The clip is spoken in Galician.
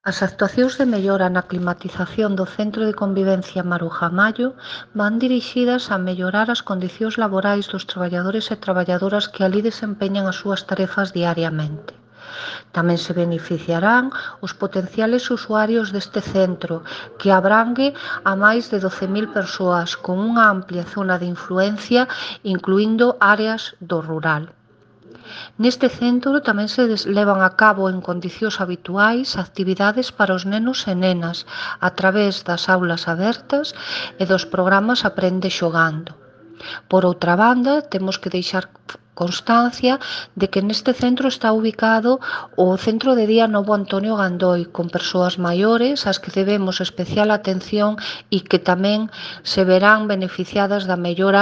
As actuacións de mellora na climatización do Centro de Convivencia Maruja-Mallo van dirixidas a mellorar as condicións laborais dos traballadores e traballadoras que alí desempeñan as súas tarefas diariamente. Tamén se beneficiarán os potenciales usuarios deste centro, que abrangue a máis de 12.000 persoas con unha amplia zona de influencia, incluíndo áreas do rural. Neste centro tamén se levan a cabo en condicións habituais actividades para os nenos e nenas a través das aulas abertas e dos programas Aprende Xogando. Por outra banda, temos que deixar constancia de que neste centro está ubicado o Centro de Día Novo Antonio Gandoi, con persoas maiores ás que debemos especial atención e que tamén se verán beneficiadas da mellora